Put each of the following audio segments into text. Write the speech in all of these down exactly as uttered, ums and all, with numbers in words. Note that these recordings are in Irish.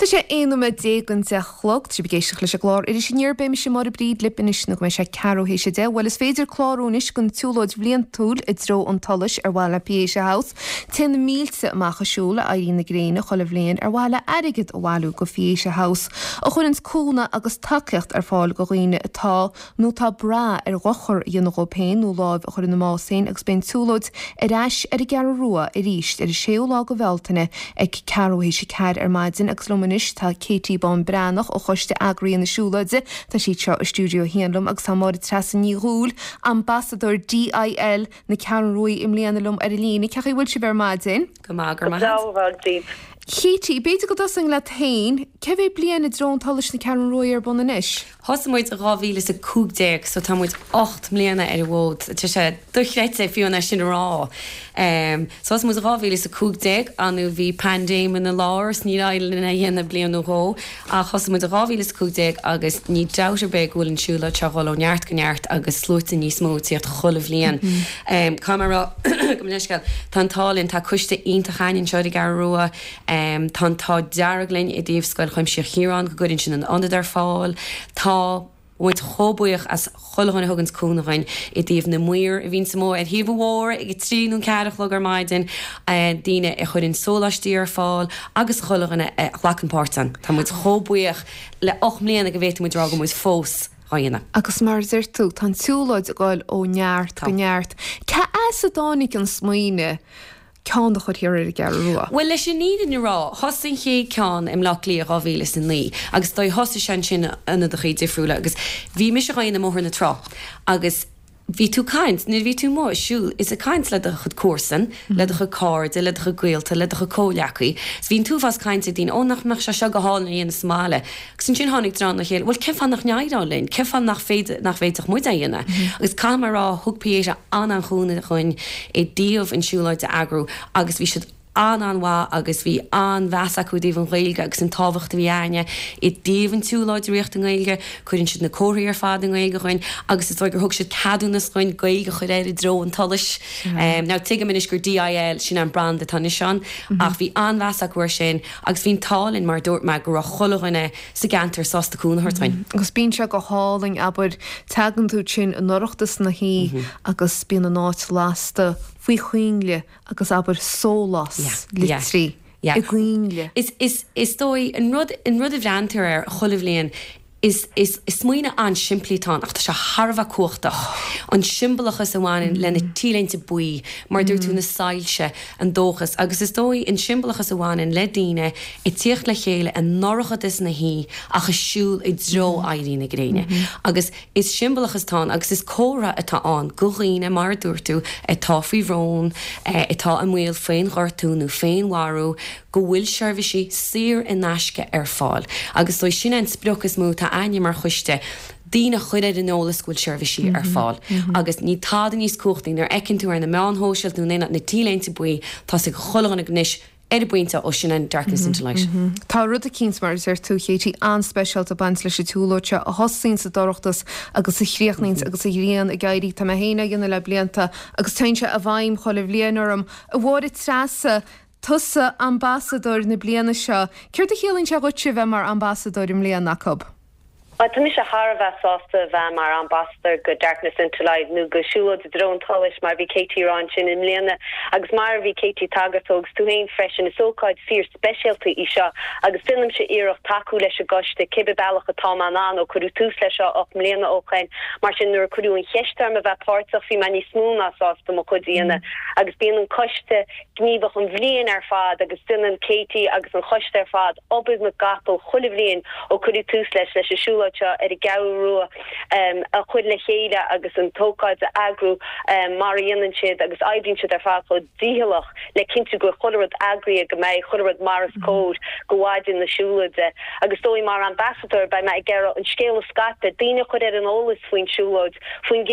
Tá sé aon nóiméad déag don deich a chlog, tá sibh ag éisteacht leis an gclár Iris Aniar, beidh mise Máire Bríd libh anois nó go mbeidh sé ceathrú théis a deich. Bhuel is féidir clárú anois don tsiúlóid bhliantúil i dtreo an tsolais ar mhaithe le Pieta House. Téann na mílte amach ag siúl le éirí na gréine chuile bhliain ar mhaithe le airgead a bhailiú go Pieta House, a chuireanns cúnamh agus tacaíocht ar fáil go dhaoine atá nó atá ag brath ar dhochar a dhéanamh dhóibh féin nó láimh a chur ina mbás féin agus beidh an tsiúlóid ar ais ar an gCeathrú Rua arís ar an séú lá go Bhealtaine ag ceathrú théis a ceathair ar maidin agus liom anois tá Katie Bán Breathnach ó choiste eagraithe na siúlóide, tá sí anseo i stiúideo a haon liom agus tá Máire Treasa Ní Dhúill, ambasadóir DIL na Ceathrún Rua i mbliana liom ar an líne. Cén chaoi a bhfuil sibh ar maidin? Go maith go maith. Katie, b'fhéidir go dtosóinn leat féin, cé mhéad bliain i dtreo an tsolais na Ceathrún Rua ar bun anois? Thosaigh muid i dhá mhíle is a cúig déag so tá muid ocht mbliana ar an bhfód. Tá sé dochreidte fiú é sin a rá. Um, so thosaigh muid i dhá mhíle is a cúig déag anú bhí paindéim ina lár is níor éirigh linn é a dhéanamh bliain nó dhó ach thosaigh muid i dhá mhíle is a cúig déag agus ní dabht ar bith go bhfuil an siúlóid seo ag dul ó neart go neart agus sluaite níos mó ag tíocht chuile bhliain. Um, Cá mar go leisceal tá an t-ádh linn tá coiste iontach againn anseo ar an gCeathrú Rua, um, tá an t-ádh dearg linn i dtaobh Scoil Chuimsitheach Chiaráin go gcuireann sin an ionad ar fáil. Tá muid chomh buíoch as chuile dhuine a thugann cúnamh dhuinn i dtaobh na maoir a bhíonn amuigh ar thaobh an bhóthair ag a trí nó ceathair a chlog ar maidin, daoine a chuireann sóláistí ar fáil agus chuile dhuine a ghlacann páirt ann. Tá muid chomh buíoch le ocht mbliana go bhféadfaidh muid rá go muid fós á dhéanamh. Agus mar a deir tú, tá an tsiúlóid ag dul ó neart go neart. Cá as a dtáinig an smaoineamh ceann a chur thiar ar an gCeathrú Rua? Well leis an fhírinne a rá, thosaigh an chéad ceann i mBleá Cliath dhá mhíle is a naoi agus dóigh thosaigh sé ansin ionadachaí difriúla agus bhí mise dhá dhéanamh i mBóthar na Trá agus bhí tú caint, nuair a bhí tú amuigh ag siúl is ag caint le do chuid comharsan, le do chuid cairde, le do chuid gaolta, le do chuid comhghleacaí. So bhí an t-uafás cainte ag daoine, ó nach mbeadh sé seo go hálainn a dhéanamh sa mbaile. Agus ansin tháinig dream le chéile, bhuel cén fáth nach n-éireodh linn, cén fáth nach féidir nach bhféadfadh muid é a dhéanamh. Agus caithfidh mé a rá, thug Pieta an-an-chúnamh dhuinn i dtaobh an siúlóid a eagrú agus bhí siad an-an-mhaith agus bhí an-mheas acu i dtaobh an Ghaeilge agus an tábhacht a bhí againne i dtaobh an tsiúlóid a rith i nGaeilge, cuireann siad na comharthaí ar fad i nGaeilge dhuinn agus is dóigh gur thug siad ceadúnas dhuinn Gaeilge a chur air i dtreo an tsolais. Um, now tuigim anois gur DIL sin an brand atá anois ann ach bhí an-mheas acu air sin agus bhí an t-ádh linn mar dúirt mé go raibh chuile dhuine sa gceantar sásta cúnamh a thabhairt dhuinn. Agus bíonn sé go hálainn abair tagann tú sin in dorchadas na hoíche agus bíonn an áit lasta faoi choinnle agus abair sólás litrí i gcoinnle. Is is is dóigh an rud an rud a bhreathnaítear ar chuile bhliain is is is smaoineamh an-simplí atá ann ach tá sé thar a bheith cumhachtach. An siombalachas a bhaineann le na T-léinte buí, mar dúirt tú na soilse, an dóchas, agus is dóigh an siombalachas a bhaineann le daoine ag tíocht le chéile i ndorchadas na hoíche ach ag siúl i dtreo éirí na gréine. Agus is siombalachas atá ann agus is comhartha atá ann go dhaoine mar a dúirt tú atá faoi bhrón, atá i mbaol féinghortú nó féinmharú, go bhfuil seirbhísí saor in aisce ar fáil. Agus dóigh sin an sprioc is mó atá againne mar choiste, daoine a chur ar an eolas go bhfuil seirbhísí ar fáil. Agus ní tada níos cumhachtaí nuair a fheiceann tú ar na meáin shóisialta nó na T-léinte buí, tá ag chuile dhuine anois ar an bpointe ó sin an darkness into light. Tá rud eicínt mar a deir tú Katie an-speisialta ag baint leis an tsiúlóid seo a thosaíonn sa dorchadas agus a chríochnaíonn agus an ghrian ag éirí tá mé féin á dhéanamh le blianta agus téann sé i bhfeidhm chuile bhliain orm. A Mháire Treasa, tusa ambasadóir na bliana seo, Céard a chiallaíonn sé dhuit bheith mar ambasadóir i mbliana acu? Tá mise thar a bheith sásta bheith mar ambasadóir go Darkness into Light nó go siúlóid i dtreo an tsolais mar bhí Katie rá ansin i mbliana agus mar bhí Katie tagairt agus tú féin freisin is ócáid fíor speisialta í seo agus déanaimse iarracht tacú leis an gcoiste cibé bealach atá mé in ann ó cuireadh tús leis seo ocht mbliana ó shin mar sin nuair a cuireadh an cheist orm a bheith páirteach bhí mé níos mó ná sásta mo chuid a dhéanamh agus bíonn an coiste gníomhach an bhliain ar fad agus déanann Katie agus an choiste ar fad obair na gcapall chuile bhliain ó cuireadh tús leis leis an siúlóid seo ar an gCeathrú Rua um, a chur le chéile agus an ócáid a eagrú um, mar a dhéanann siad agus oibríonn siad ar fad chomh dícheallach le cinntiú go chuile rud eagraithe go mbeidh chuile rud mar is cóir go mhaidin na siúlóide agus dóigh mar ambasadóir beidh mé ag iarraidh an scéal a scaipeadh daoine chur ar an eolas faoin siúlóid faoin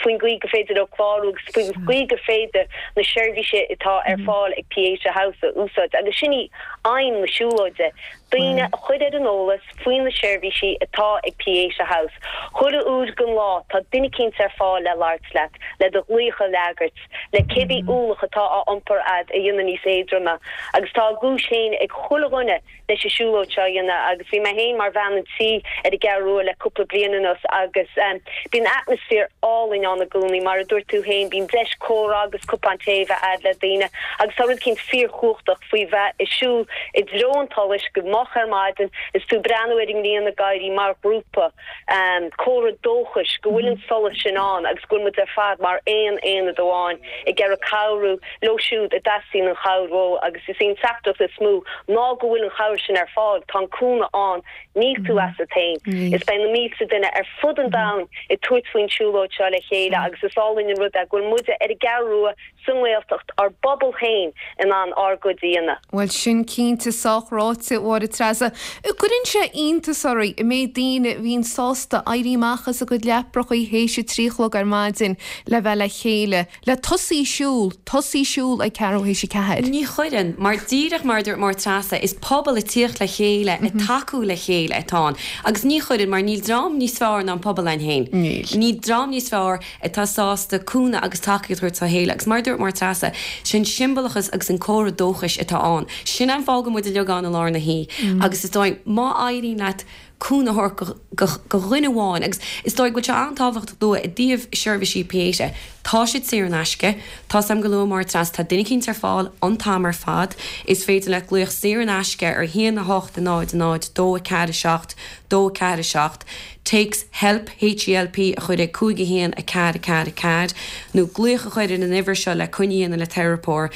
faoin gcaoi go féidir leo clárú agus faoin gcaoi go féidir na seirbhísí atá ar fáil ag Pieta House a úsáid agus sin í aidhm na siúlóide. Daoine a chur ar an eolas faoi na seirbhísí atá ag Pieta House. Chuile uair den lá tá duine eicínt ar fáil le labhairt leat, le do ghlaoch a fhreagairt, le cibé ualach atá á iompar agat a dhéanamh níos éadroime, agus tá a gcúis féin ag chuile dhuine leis an siúlóid seo a dhéanamh agus bhí mé féin mar bhean an tí ar an gCeathrú Rua le cúpla bliain anuas agus um, bíonn atmaisféar álainn ann i gcónaí mar a dúirt tú féin bíonn deis comhrá agus cupán tae a bheith agat le daoine agus tá rud eicínt fíorchumhachtach faoi bheith ag siúl i dtreo an tsolais go moch ar maidin is tú breathnú ar an ngrian ag éirí mar ghrúpa um, comhartha dóchais go bhfuil an solas sin ann agus go bhfuil muid ar fad mar aon aonad amháin ag iarraidh cabhrú leo siúd a dteastaíonn an chabhair uathu agus is í an teachtaireacht is mó ná go bhfuil an chabhair sin ar fáil tá an cúnamh ann níl tú asat féin. Is beidh na mílte duine ar fud an domhain ag tabhairt faoin siúlóid seo le chéile agus is álainn an rud é go bhfuil muide ar an gCeathrú Rua sa nGaeltacht ár bpobal féin in ann ár gcuid a dhéanamh. Bhuel sin cinnte sách ráite a Mháire Treasa. Cuireann sé iontas oraibh an méid daoine a bhíonn sásta éirí amach as a gcuid leaprachaí théis a trí a chlog ar maidin le bheith le chéile, le tosaí siúl, tosaí siúl ag ceathrú théis a ceathair. Ní chuireann, mar díreach mar dúirt Máire Treasa is pobal ag tíocht le chéile ag tacú le chéile atá ann. Agus ní chuireann mar níl dream níos fearr ná an pobal ann féin. Níl. Níl dream níos fearr atá sásta cúnamh agus tacaíocht a thabhairt dá chéile agus mar dúirt Máire Treasa sin siombalachas agus an comhartha dóchais atá ann. Sin an fáth go bhfuil muid uilig ann i lár na hoíche agus is dóigh má éiríonn leat cúnamh a thabhairt do dhuine amháin agus is dóigh go bhfuil sé an-tábhachtach dúinn i dtaobh seirbhísí Pieta. Tá siad saor in aisce, Tá sam go luath mar treasa tá duine eicínt ar fáil an t-am ar fad, is féidir leat glaoch saor in aisce ar haon a hocht a náid a náid dó a ceathair a seacht dó a ceathair a seacht, téacs HELP H E L P a chur ag cúig a haon a ceathair a ceathair a ceathair, nó glaoch a chur ar an uimhir seo le coinne a dhéanamh le teiripeoir,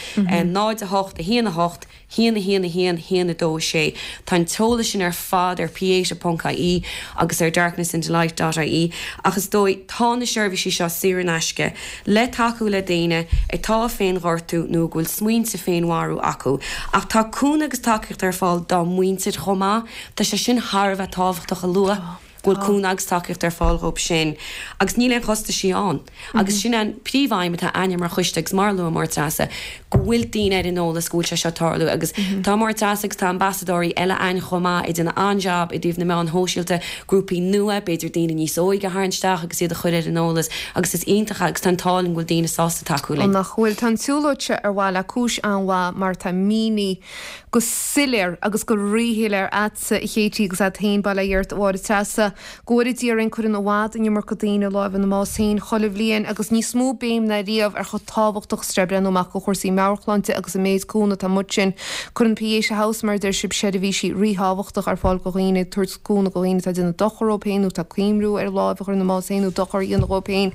náid a hocht a haon a hocht haon a haon a haon haon a dó a sé. Tá an t-eolas sin ar fad ar pieta ponc I E agus ar darknessintolight dot I E ach is dóigh tá na seirbhísí seo saor in aisce le tacú le daoine atá ag féinghortú nó go bhfuil smaointe féinmharú acu. Ach tá cúnamh agus tacaíocht ar fáil dá muintir chomh maith, tá sé sin thar a bheith tábhachtach a lua. go bhfuil cúnamh agus tacaíocht ar fáil dhóibh sin agus níl aon chostaisí ann. Agus sin an príomhaidhm atá againne mar choiste agus mar luaigh Máire Treasa go bhfuil daoine ar an eolas go bhfuil sé seo ag tarlú agus tá Máire Treasa agus tá ambasadóirí eile ann chomh maith ag déanamh an-jab i dtaobh na meáin shóisialta, grúpaí nua, b'fhéidir daoine níos óige a tharraingt isteach agus iad a chur ar an eolas agus is iontach agus tá an t-ádh linn go bhfuil daoine sásta tacú linn. Nach bhfuil tá an tsiúlóid seo ar mhaith le cúis an-mhaith mar tá mínithe go soiléir agus go ríshoiléir agatsa a Chéití agus agat féin bail ó Dhia ort a Mháire Treasa go bhfóire Dia orainn cuireann i bhfad an iomarca daoine lámh ina mbás féin chuile bhliain agus níos mó béim ná riamh ar chomh tábhachtach is atá breathnú amach do chúrsaí meabhairshláinte agus an méid cúnamh atá amuigh sin. Cuireann Pieta House mar a deir sibh seirbhísí ríthábhachtach ar fáil do dhaoine ag tabhairt cúnamh do dhaoine atá ag déanamh dochar dóibh féin nó atá ag cuimhniú ar lámh a chur ina mbás féin nó dochar a dhéanamh dóibh féin.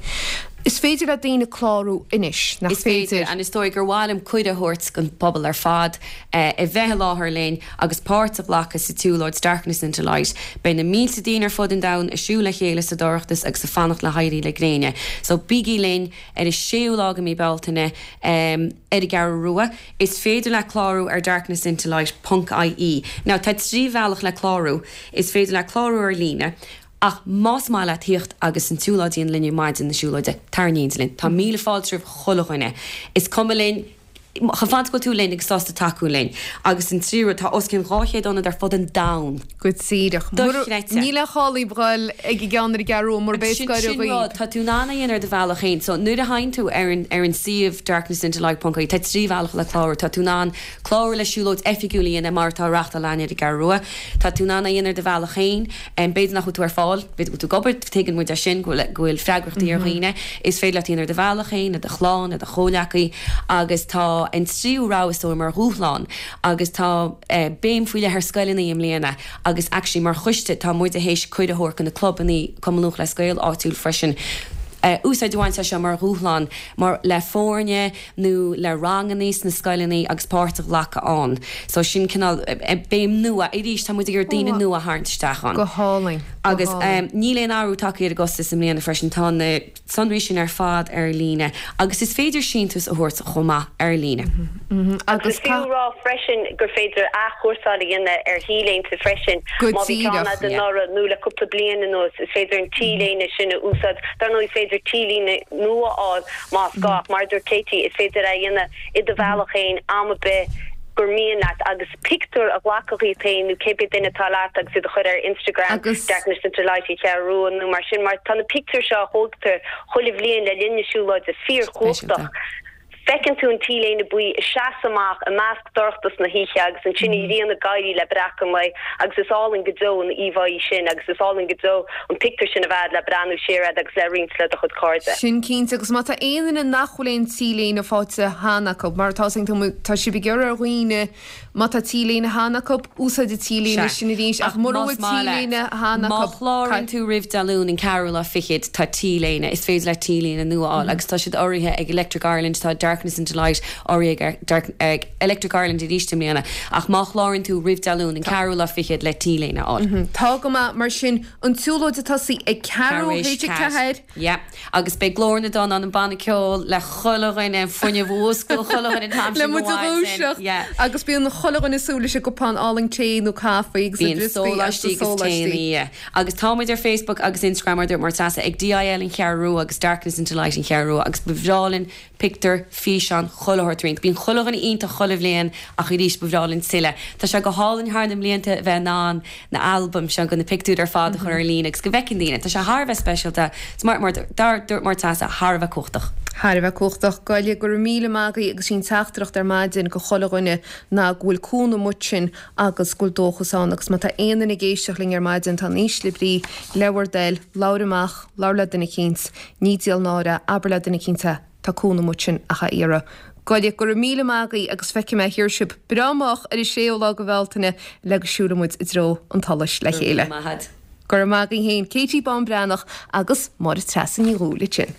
Is féidir le daoine clárú anois, nach Is féidir, féidir? and is dóigh gur mhaith liom cuireadh a thabhairt don pobal ar fad a bheith i láthair linn agus páirt a ghlacadh sa tsiúlóid Darkness into Light. Beidh na mílte daoine ar fud an domhain ag siúl le chéile sa dorchadas agus ag fanacht le héirí le gréine. So bígí linn ar an séú lá de mhí Bealtaine um, ar an gCeathrú Rua. Is féidir leat clárú ar darknessintolight ponc I E. Now tá trí bhealach le clárú. Is féidir leat clárú ar líne. Ach más maith leat tíocht agus an tsiúlóid a dhéanamh linn maidin na siúlóide tar in éindí linn. Tá míle fáilte roimh chuile dhuine. Is cuma linn chomh fada go bhfuil tú linn agus sásta tacú linn. Agus an tríú tá os cionn dhá chéad ionad ar fud an domhain. Go díreach. Dochreidte. Níl aon chall a ghoil ag an gceann ar an gCeathrú Rua mura Sin sin rud tá tú in ann é a dhéanamh ar do bhealach féin, so nuair a théann tú ar an ar an suíomh darknessintolight ponc I E tá trí bhealach le clárú, tá tú in ann clárú le siúlóid oifigiúil a dhéanamh mar atá á reáchtáil againn ar an gCeathrú Rua. Tá tú in ann é a dhéanamh ar do bhealach féin, b'fhéidir nach bhfuil tú ar fáil, b'fhéidir go bhfuil tú ag obair, tuigeann muid é sin go bhfuil go bhfuil freagrachtaí ar dhaoine, is féidir leat é a dhéanamh ar do bhealach féin, le do chlann, le do chomhleacaí agus tá an tríú rogha is dóigh mar dhúshlán agus tá eh, béim faoi leith ar scoileanna i mbliana agus actually mar choiste tá muid théis cuireadh a thabhairt do na clubanna Cumann Lúthchleas Gael áitiúil freisin. Uh, úsáid a bhaint as seo mar dhúshlán mar le foirne nó le ranganna sna scoileanna agus páirt a ghlacadh ann. So sin cineál béim nua arís tá muid ag iarraidh daoine nua a tharraingt isteach ann. Go hálainn. Go Agus hálainn. um, níl aon athrú tagtha ar an gcostas i mbliana freisin tá na sonraí sin ar fad ar líne, agus is féidir síntiús a thabhairt chomh maith ar líne. Mhm. Agus Agus fiú ca- rá freisin gur féidir athchúrsáil a dhéanamh ar T-léinte freisin Go má bhí díreach, ceann yeah. anuraidh nó le cúpla bliain anuas is féidir an T-léine sin a úsáid dar ndóigh is féidir T-líne nua a fháil más gá mar dúirt Katie is féidir é a dhéanamh i do bhealach féin am ar bith gur mian leat agus pictiúr a ghlacadh díot féin nó cibé duine atá leat agus iad a chur ar Instagram Agus- Darkness into Light an Cheathrú Rua nó mar sin mar tá na pictiúir seo a thógtar chuile bhliain le linn na siúlóide fíorchumhachtach. Feiceann tú an t-léine buí ag seasamh amach i measc dorchadas na hoíche agus ansin an ghrian ag éirí le breacadh an lae agus is álainn go deo an íomhá sin agus is álainn go deo an pictiúr sin a bheith le breathnú siar air agus le roinnt le do chuid cairde. Sin cinnte agus má tá aon duine nach bhfuil aon T-léine faighte cheana acu, mar tá tá sibh ag iarraidh ar dhaoine má tá T-léine cheana acu úsáid an T-léine sin arís ach mura bhfuil T-léine cheana Má acu chlárann tú roimh Dé Luain an ceathrú lá fichead tá T-léine is féidir le T-léine nua a fháil agus tá siad urraithe ag Electric Ireland tá Darkness into Light urraithe ag Dark, ag Electric Ireland arís i mbliana ach má chlárann tú roimh Dé Luain an ceathrú lá fichead le T-léine a fháil. Tá go maith mar sin an tsiúlóid ag tosú ag ceathrú théis a ceathair. Yeah. Agus beidh Glór na dTonn an banna ceoil le chuile dhuine fuinneamh úscail chuile dhuine tam Le muid a dhúiseacht agus bíonn chuile dhuine súil leis an gcupán álainn tae nó caife agus Bíonn sóláistí agus tae agus táimid ar Facebook agus Instagram mar mar Treasa ag DIL an Cheathrú Rua agus Darkness into Light an Cheathrú Rua agus ba bhreá linn pictiúr físeán chuile shórt roinnt. Bíonn chuile dhuine iontach chuile bhliain ach arís ba bhreá linn tuilleadh. Tá sé go hálainn thar na mblianta bheith in ann na albaim seo go na pictiúir ar fad a chur ar líne agus go bhfeiceann daoine. Tá sé thar a bheith speisialta mar mar dar dúirt mar Treasa thar a bheith cumhachtach. Thar a bheith cumhachtach goile go raibh míle maith agaibh agus sin teachtaireacht ar maidin go chuile dhuine ná go bhfuil cúnamh amuigh ansin agus go bhfuil dóchas ann agus má tá aon duine ag éisteacht linn ar maidin tá in ísle brí le bhur dtoil labhair amach labhair le duine eicínt ní díol náire abair le duine eicínt tá cúnamh amuigh ansin ach a iarraidh. Goile go raibh míle maith agaibh agus feicfidh mé thiar sibh breá moch ar an séú lá de Bhealtaine le go siúlfaidh muid i dtreo an tsolais le chéile. Mahad. Gur maith agaibh féin Katie Bán Breathnach agus Máire Treasa Ní Dhúill sin.